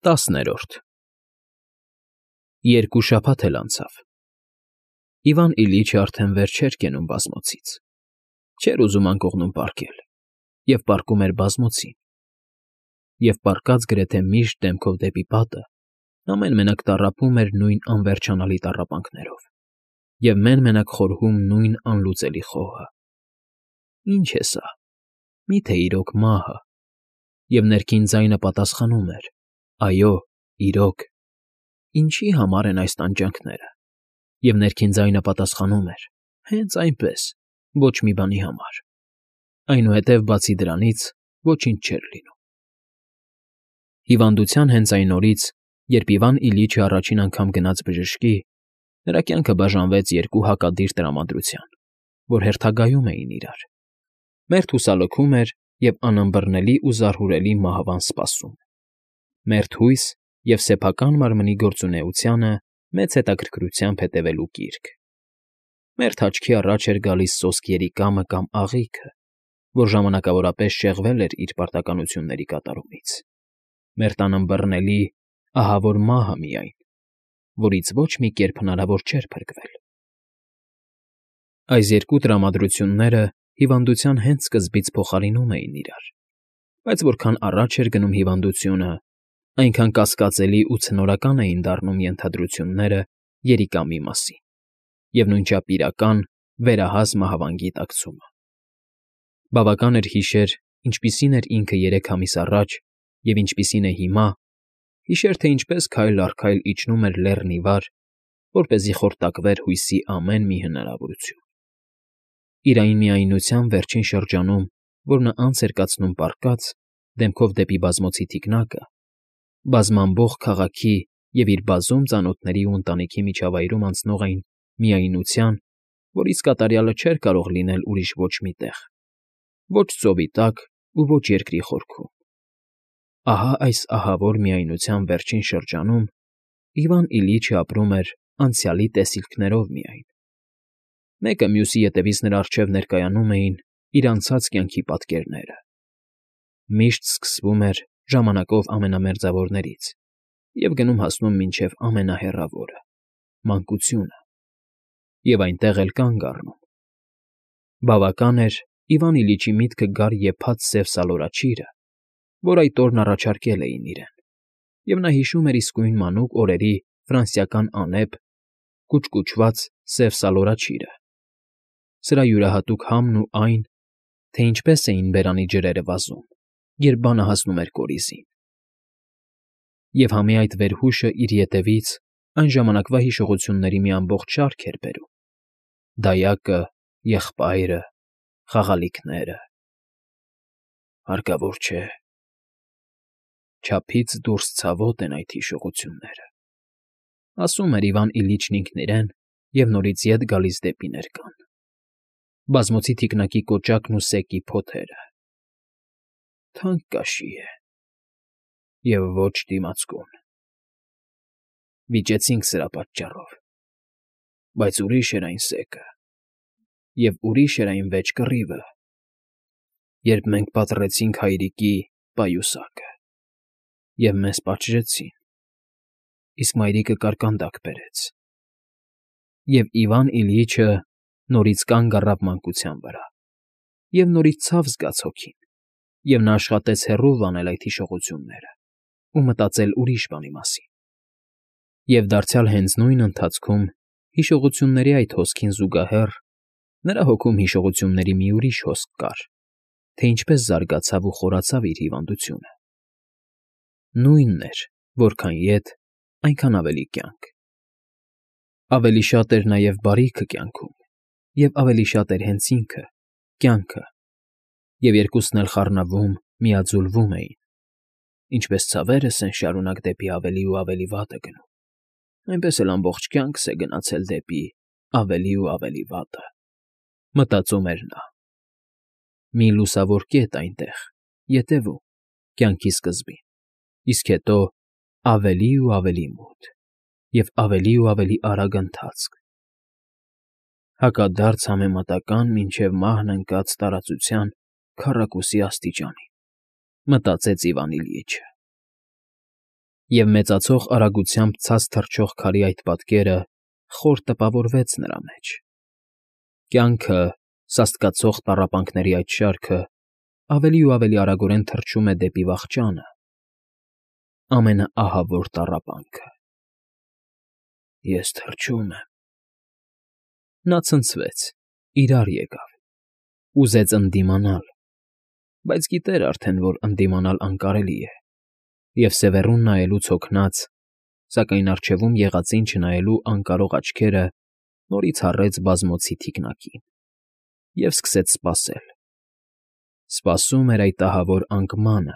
10-րդ Երկու շաբաթ էլ անցավ։ Իվան Իլիչը արդեն վեր չէր կենում բազմոցից, չէր ուզում անկողնում պառկել, և պառկում էր բազմոցին, և պառկած գրեթե միշտ դեմքով դեպի պատը, ամեն մենակ տառապում էր նույն անվերջանալի տառապանքներով և մեն֊մենակ խորհում նույն անլուծելի խոհը. ի՞նչ է սա, մի՞թե իրոք մահը, և ներքին ձայնը պատասխանում էր. այո, իրոք, ինչի՞ համար են այս տանջանքները, և ներքին ձայնը պատասխանում էր. հենց այնպես, ոչ մի բանի համար, այնուհետև բացի դրանից ոչինչ չէր լինում։ Հիվանդության հենց այն օրից, երբ Իվան Իլիչը առաջին անգամ գնաց բժշկի, նրա կյանքը բաժանվեց երկու հակադիր տրամադրության, որ հերթագայում էին իրար. մերթ հուսալքում էր և անըմբռնելի ու զարհուրելի մահվան սպասում, մերթ հույս և սեփական մարմնի գործունեությանը մեծ հետաքրքրությամբ հետևելու կիրք, մերթ աչքի առաջ էր գալիս սոսկ երիկամը կամ աղիքը, որ ժամանակավորապես շեղվել էր իր պարտականությունների կատարումից, մերթ անըմբռնելի, ահավոր մահը միայն, որից ոչ մի կերպ հնարավոր չէր փրկվել։ Այս երկու տրամադրությունները հիվանդության հենց սկզբից փոխարինում էին իրար, բայց որքան առաջ էր գնում հիվանդությունը, այնքան կասկածելի ու ցնորական էին դառնում ենթադրությունները երիկամի մասին և նույնչափ իրական, վերահաս մահվան գիտակցումը։ Բավական էր հիշեր, ինչպիսին էր ինքը 3 ամիս առաջ և ինչպիսին է հիմա, հիշեր, թե ինչպես քայլ առ քայլ իջնում էր լեռն ի վար, որպեսզի խորտակվեր հույսի ամեն մի հնարավորություն։ Իր այն միայնության վերջին շրջանում, որ նա անց էր կացնում պառկած, դեմքով դեպի բազմոցի թիկնակը, բազմամբող քաղաքի և իր բազում ծանոթների ու ընտանիքի միջավայրում անցնող այն միայնության, որից կատարյալը չէր կարող լինել ուրիշ ոչ մի տեղ, ոչ ծովի տակ ու ոչ երկրի խորքում, ահա այս ահավոր միայնության վերջին շրջանում Իվան Իլիչը ապրում էր անցյալի տեսիլքներով միայն։ Մեկը մյուսի ետևից նրա առջև ներկայանում էին իր անցած կյանքի պատկերները։ Միշտ սկսվում էր ժամանակով ամենամերձավորներից և գնում հասնում մինչև ամենահեռավորը՝ մանկությունը, և այնտեղ էլ կանգ առնում։ Բավական էր Իվան Իլիչի միտքը գար եփած սև սալորաչիրը, որ այդ օրն առաջարկել էին իրեն, և նա հիշում էր իսկույն մանուկ օրերի ֆրանսիական անեփ, կուչկուչված սև սալորաչիրը, սրա յուրահատուկ համն ու այն, թե ինչպես էին բերանի ջրերը վազում, երբ բանը հասնում էր կորիզին։ Եվ համի այդ վերհուշը իր ետևից այն ժամանակվա հիշողությունների մի ամբողջ շարք էր բերում. դայակը, եղբայրը, խաղալիքները… Հարկավոր չէ, չափից դուրս ցավոտ են այդ հիշողությունները, ասում էր Իվան Իլիչն ինքն իրեն և նորից ետ գալիս դեպի ներկան։ Բազմոցի թիկնակի կոճակն ու սեկի փոթերը… Թանկ կաշի է և ոչ դիմացկուն… Վիճեցինք սրա պատճառով, բայց ուրիշ էր այն սեկը, և ուրիշ էր այն վեճ կռիվը, երբ մենք պատռեցինք հայրիկի պայուսակը, և մեզ պատժեցին, իսկ մայրիկը կարկանդակ բերեց… Եվ Իվան Իլիչը նորից կանգ առավ մանկության վրա, և նորից ցավ զգաց հոգին, և նա աշխատեց հեռու վանել այդ հիշողությունները ու մտածել ուրիշ բանի մասին։ Եվ դարձյալ հենց նույն ընթացքում հիշողությունների այդ հոսքին զուգահեռ նրա հոգում հիշողությունների մի ուրիշ հոսք կար, թե ինչպես զարգացավ ու խորացավ իր հիվանդությունը։ Նույնն էր, որքան ետ, այնքան ավելի կյանք։ Ավելի շատ էր նաև բարիքը կյանքում, և ավելի շատ էր հենց ինքը՝ կյանքը, և երկուսն էլ խառնվում, միաձուլվում էին, ինչպես ցավերս են շարունակ դեպի ավելի ու ավելի վատը գնում, այնպես էլ ամբողջ կյանքս է գնացել դեպի ավելի ու ավելի վատը, մտածում էր նա։ Մի լուսավոր կետ այնտեղ, ետևում, կյանքի սկզբին, իսկ հետո ավելի ու ավելի մութ և ավելի արագ ընթացք, հակադարձ համեմատական մինչև մահն ընկած տարածության քառակուսի աստիճանին, մտածեց Իվան Իլիչը։ Եվ մեծացող արագությամբ ցած թռչող քարի այդ պատկերը խոր տպավորվեց նրա մեջ։ Կյանքը, սաստկացող տառապանքների այդ շարքը ավելի ու ավելի արագորեն թռչում է դեպի վախճանը, ամենաահավոր տառապանքը։ Ես թռչում եմ։ Նա ցնցվեց, իրար եկավ, ուզեց ընդդիմանալ, բայց գիտեր արդեն, որ ընդդիմանալ անկարելի է, և սևեռուն նայելուց հոգնած, սակայն առջևում եղածին չնայելու անկարող աչքերը նորից հառեց բազմոցի թիկնակին և սկսեց սպասել. սպասում էր այդ ահավոր անկմանը,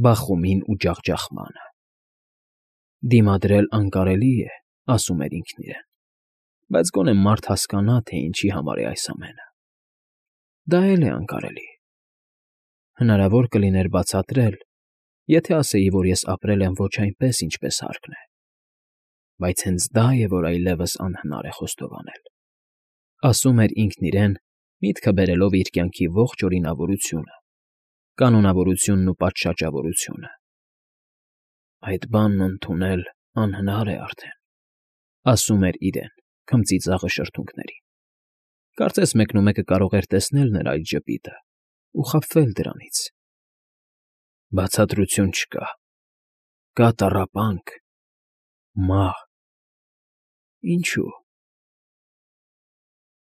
բախումին ու ջախջախմանը։ Դիմադրել անկարելի է, ասում էր ինքն իրեն, բայց գոնե մարդ հասկանա, թե ինչի համար է այս ամենը։ Դա էլ է անկարելի։ Հնարավոր կլիներ բացատրել, եթե ասեի, որ ես ապրել եմ ոչ այնպես, ինչպես հարկն է, բայց հենց դա է, որ այլևս անհնար է խոստովանել, ասում էր ինքն իրեն, միտքը բերելով իր կյանքի ողջ օրինավորությունը, կանոնավորությունն ու պատշաճավորությունը։ Այդ բանն ընդունել անհնար է արդեն, ասում էր իրեն, քմծիծաղը շրթունքներին։ Կարծես մեկնումեկը կարող էր տեսնել նրա այդ ժպիտը ու խաբվել դրանից։ Բացատրություն չկա։ Կա տառապանք, մահ։ Ինչու՞։